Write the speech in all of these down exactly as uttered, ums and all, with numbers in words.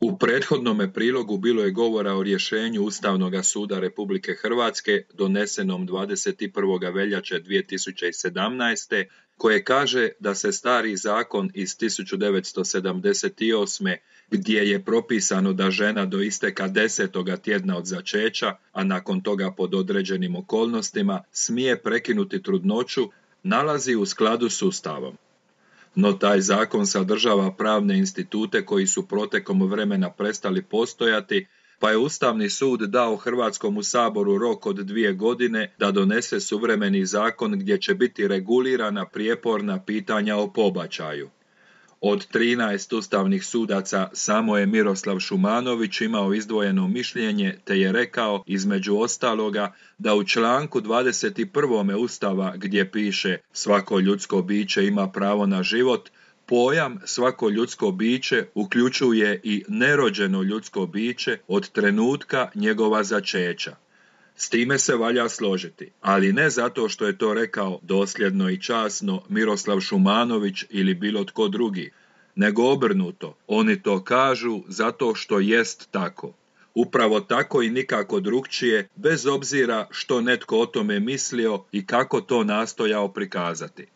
U prethodnome prilogu bilo je govora o rješenju Ustavnog suda Republike Hrvatske donesenom dvadeset prvoga veljače dvije tisuće sedamnaeste. koje kaže da se stari zakon iz tisuću devetsto sedamdeset osme. gdje je propisano da žena do isteka desetoga tjedna od začeća, a nakon toga pod određenim okolnostima, smije prekinuti trudnoću, nalazi u skladu s Ustavom. No taj zakon sadržava pravne institute koji su protekom vremena prestali postojati, pa je Ustavni sud dao Hrvatskom saboru rok od dvije godine da donese suvremeni zakon gdje će biti regulirana prijeporna pitanja o pobačaju. Od trinaest ustavnih sudaca samo je Miroslav Šumanović imao izdvojeno mišljenje te je rekao, između ostaloga, da u članku dvadeset prvom. Ustava gdje piše svako ljudsko biće ima pravo na život, pojam svako ljudsko biće uključuje i nerođeno ljudsko biće od trenutka njegova začeća. S time se valja složiti, ali ne zato što je to rekao dosljedno i časno Miroslav Šumanović ili bilo tko drugi, nego obrnuto, oni to kažu zato što jest tako. Upravo tako i nikako drukčije, bez obzira što netko o tome mislio i kako to nastojao prikazati.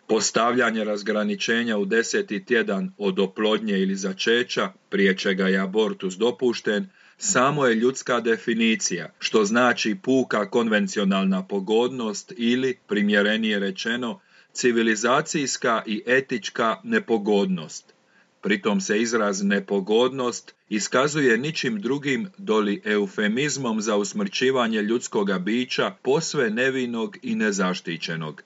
Postavljanje razgraničenja u deseti tjedan od oplodnje ili začeća, prije čega je abortus dopušten, samo je ljudska definicija, što znači puka konvencionalna pogodnost ili, primjerenije rečeno, civilizacijska i etička nepogodnost. Pritom se izraz nepogodnost iskazuje ničim drugim doli eufemizmom za usmrćivanje ljudskoga bića posve nevinog i nezaštićenog.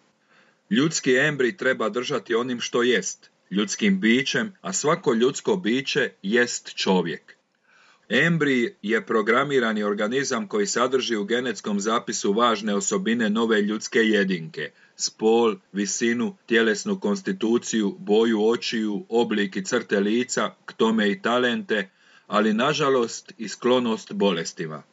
Ljudski embrij treba držati onim što jest, ljudskim bićem, a svako ljudsko biće jest čovjek. Embrij je programirani organizam koji sadrži u genetskom zapisu važne osobine nove ljudske jedinke, spol, visinu, tjelesnu konstituciju, boju očiju, oblik i crte lica, k tome i talente, ali nažalost i sklonost bolestima.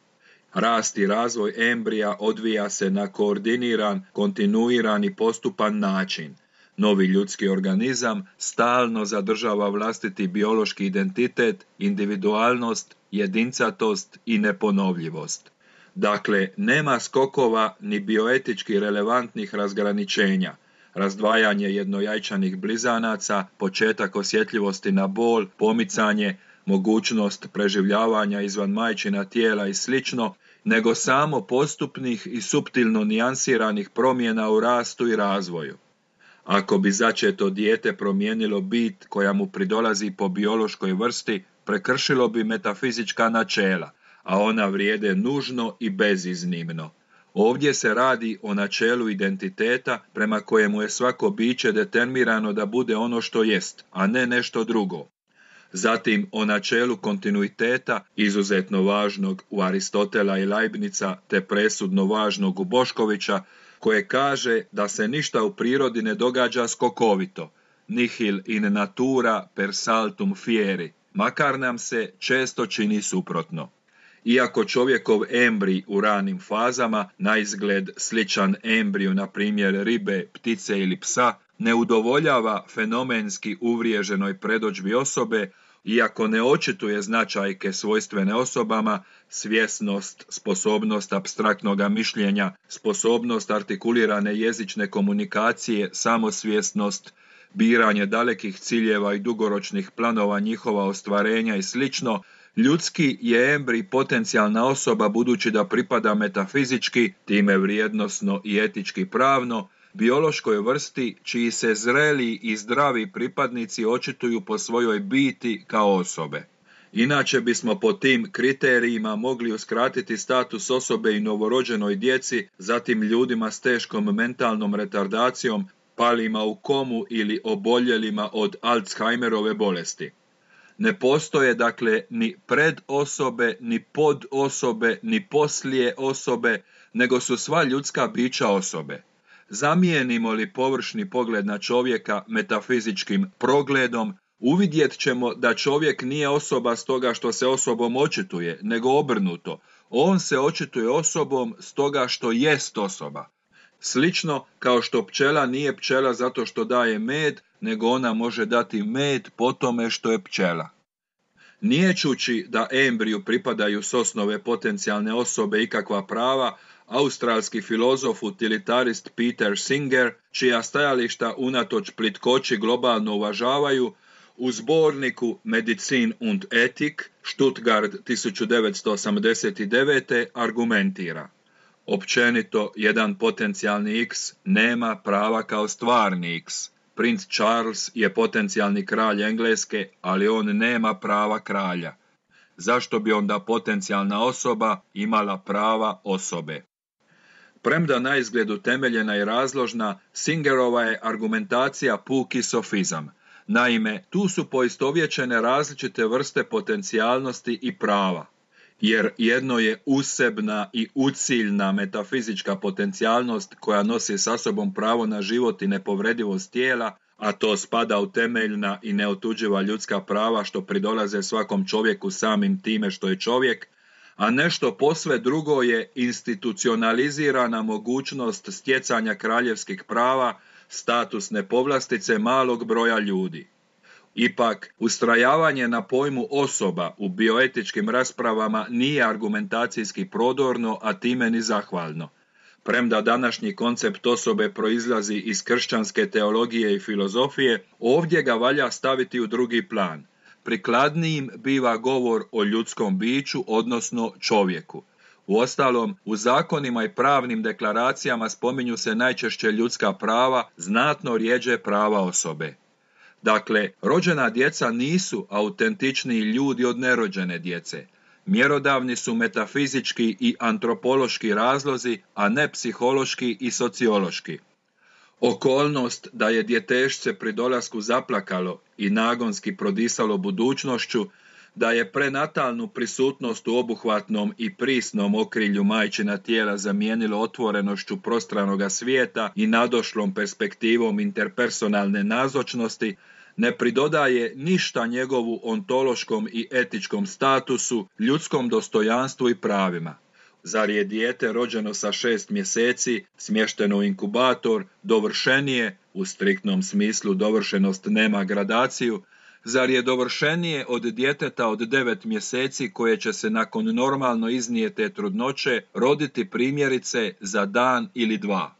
Rast i razvoj embrija odvija se na koordiniran, kontinuiran i postupan način. Novi ljudski organizam stalno zadržava vlastiti biološki identitet, individualnost, jedincatost i neponovljivost. Dakle, nema skokova ni bioetički relevantnih razgraničenja, razdvajanje jednojajčanih blizanaca, početak osjetljivosti na bol, pomicanje, mogućnost preživljavanja izvan majčina tijela i slično, nego samo postupnih i suptilno nijansiranih promjena u rastu i razvoju. Ako bi začeto dijete promijenilo bit koja mu pridolazi po biološkoj vrsti, prekršilo bi metafizička načela, a ona vrijede nužno i beziznimno. Ovdje se radi o načelu identiteta prema kojemu je svako biće determinirano da bude ono što jest, a ne nešto drugo. Zatim o načelu kontinuiteta, izuzetno važnog u Aristotela i Leibnica, te presudno važnog u Boškovića, koje kaže da se ništa u prirodi ne događa skokovito, nihil in natura per saltum fieri, makar nam se često čini suprotno. Iako čovjekov embrij u ranim fazama, na izgled sličan embriju na primjer ribe, ptice ili psa, ne udovoljava fenomenski uvriježenoj predodžbi osobe, iako ne očituje značajke svojstvene osobama, svjesnost, sposobnost apstraktnoga mišljenja, sposobnost artikulirane jezične komunikacije, samosvjesnost, biranje dalekih ciljeva i dugoročnih planova njihova ostvarenja i slično, ljudski je embrij potencijalna osoba budući da pripada metafizički, time vrijednosno i etički pravno, biološkoj vrsti čiji se zreli i zdravi pripadnici očituju po svojoj biti kao osobe. Inače bismo po tim kriterijima mogli uskratiti status osobe i novorođenoj djeci, zatim ljudima s teškom mentalnom retardacijom, palima u komu ili oboljelima od Alzheimerove bolesti. Ne postoje dakle ni pred osobe, ni pod osobe, ni poslije osobe, nego su sva ljudska bića osobe. Zamijenimo li površni pogled na čovjeka metafizičkim progledom, uvidjet ćemo da čovjek nije osoba stoga što se osobom očituje, nego obrnuto. On se očituje osobom stoga što jest osoba. Slično kao što pčela nije pčela zato što daje med, nego ona može dati med po tome što je pčela. Niječući da embriju pripadaju s osnove potencijalne osobe ikakva prava, australski filozof utilitarist Peter Singer, čija stajališta unatoč plitkoći globalno uvažavaju, u zborniku Medizin und Ethik, Stuttgart tisuću devetsto osamdeset devete argumentira: općenito, jedan potencijalni X nema prava kao stvarni X. Princ Charles je potencijalni kralj Engleske, ali on nema prava kralja. Zašto bi onda potencijalna osoba imala prava osobe? Premda na izgled utemeljena i razložna, Singerova je argumentacija puki sofizam. Naime, tu su poistovjećene različite vrste potencijalnosti i prava, jer jedno je usebna i uciljna metafizička potencijalnost koja nosi sa sobom pravo na život i nepovredivost tijela, a to spada u temeljna i neotuđiva ljudska prava što pridolaze svakom čovjeku samim time što je čovjek, a nešto posve drugo je institucionalizirana mogućnost stjecanja kraljevskih prava, statusne povlastice malog broja ljudi. Ipak, ustrajavanje na pojmu osoba u bioetičkim raspravama nije argumentacijski prodorno, a time ni zahvalno. Premda današnji koncept osobe proizlazi iz kršćanske teologije i filozofije, ovdje ga valja staviti u drugi plan. Prikladnijim biva govor o ljudskom biću, odnosno čovjeku. Uostalom, u zakonima i pravnim deklaracijama spominju se najčešće ljudska prava, znatno rjeđe prava osobe. Dakle, rođena djeca nisu autentičniji ljudi od nerođene djece. Mjerodavni su metafizički i antropološki razlozi, a ne psihološki i sociološki. Okolnost da je djetešce pri dolasku zaplakalo i nagonski prodisalo budućnošću, da je prenatalnu prisutnost u obuhvatnom i prisnom okrilju majčina tijela zamijenilo otvorenošću prostranoga svijeta i nadošlom perspektivom interpersonalne nazočnosti, ne pridodaje ništa njegovu ontološkom i etičkom statusu, ljudskom dostojanstvu i pravima. Zar je dijete rođeno sa šest mjeseci, smješteno u inkubator, dovršenije, u striktnom smislu dovršenost nema gradaciju, zar je dovršenije od djeteta od devet mjeseci koje će se nakon normalno iznijete trudnoće roditi primjerice za dan ili dva?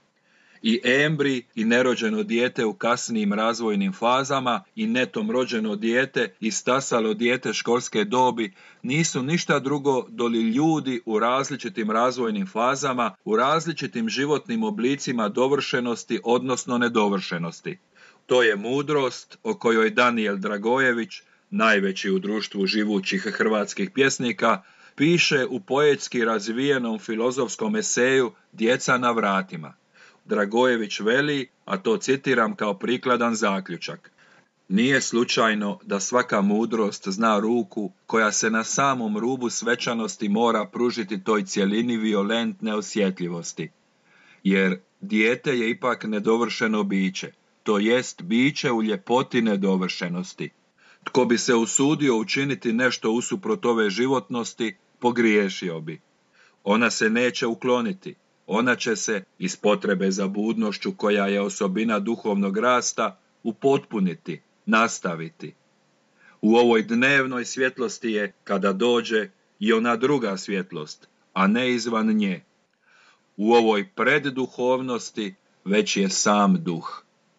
I embri i nerođeno dijete u kasnijim razvojnim fazama i netom rođeno dijete i stasalo dijete školske dobi nisu ništa drugo doli ljudi u različitim razvojnim fazama, u različitim životnim oblicima dovršenosti odnosno nedovršenosti. To je mudrost o kojoj Danijel Dragojević, najveći u društvu živućih hrvatskih pjesnika, piše u poetski razvijenom filozofskom eseju Djeca na vratima. Dragojević veli, a to citiram kao prikladan zaključak: nije slučajno da svaka mudrost zna ruku koja se na samom rubu svečanosti mora pružiti toj cjelini violentne osjetljivosti. Jer dijete je ipak nedovršeno biće, to jest biće u ljepoti nedovršenosti. Tko bi se usudio učiniti nešto usuprot ove životnosti, pogriješio bi. Ona se neće ukloniti. Ona će se, iz potrebe za budnošću koja je osobina duhovnog rasta, upotpuniti, nastaviti. U ovoj dnevnoj svjetlosti je, kada dođe, i ona druga svjetlost, a ne izvan nje. U ovoj predduhovnosti već je sam duh.